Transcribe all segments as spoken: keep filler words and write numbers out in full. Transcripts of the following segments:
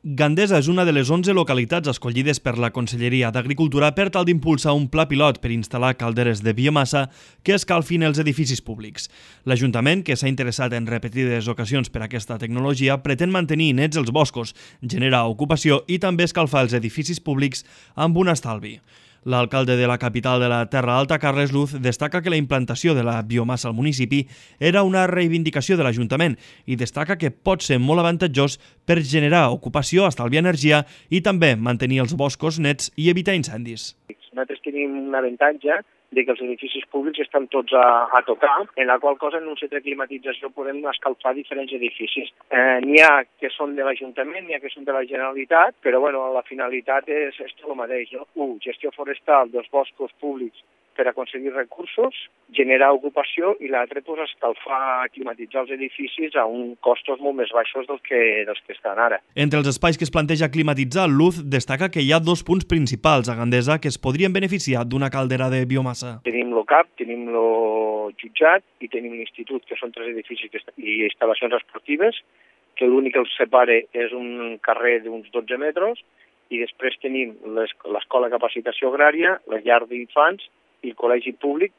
Gandesa és una de les onze localitats escollides per la Conselleria d'Agricultura per tal d'impulsar un pla pilot per instal·lar calderes de biomassa que escalfin els edificis públics. L'Ajuntament, que s'ha interessat en repetides ocasions per aquesta tecnologia, pretén mantenir nets els boscos, generar ocupació i també escalfar els edificis públics amb un estalvi. L'alcalde de la capital de la Terra Alta, Carles Luz, destaca que la implantació de la biomassa al municipi era una reivindicació de l'Ajuntament i destaca que pot ser molt avantatjós per generar ocupació, estalviar energia i també mantenir els boscos nets i evitar incendis. Nosaltres tenim un avantatge de que els edificis públics estan tots a, a tocar, en la qual cosa en un centre de climatització podem escalfar diferents edificis. Eh, n'hi ha que són de l'Ajuntament, n'hi ha que són de la Generalitat, però bueno, la finalitat és, és tot el mateix, no? Un, gestió forestal dels boscos públics per aconseguir recursos, generar ocupació i l'altre, pues, escalfar, climatitzar els edificis a un costos molt més baixos dels que, dels que estan ara. Entre els espais que es planteja climatitzar, Luz destaca que hi ha dos punts principals a Gandesa que es podrien beneficiar d'una caldera de biomassa. Tenim el C A P, tenim el jutjat i tenim l'institut, que són tres edificis i instal·lacions esportives, que l'únic que els separa és un carrer d'uns dotze metres, i després tenim l'escola de capacitació agrària, la llar d'infants i el col·legi públic,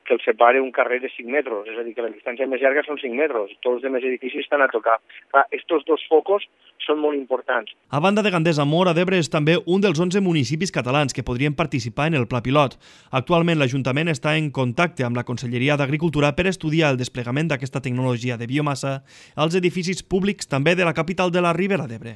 que el separa un carrer de cinc metres, és a dir, que la distància més llarga són cinc metres, tots els demés edificis estan a tocar. Aquests dos focus són molt importants. A banda de Gandesa, Móra d'Ebre és també un dels onze municipis catalans que podrien participar en el pla pilot. Actualment l'Ajuntament està en contacte amb la Conselleria d'Agricultura per estudiar el desplegament d'aquesta tecnologia de biomassa als edificis públics també de la capital de la Ribera d'Ebre.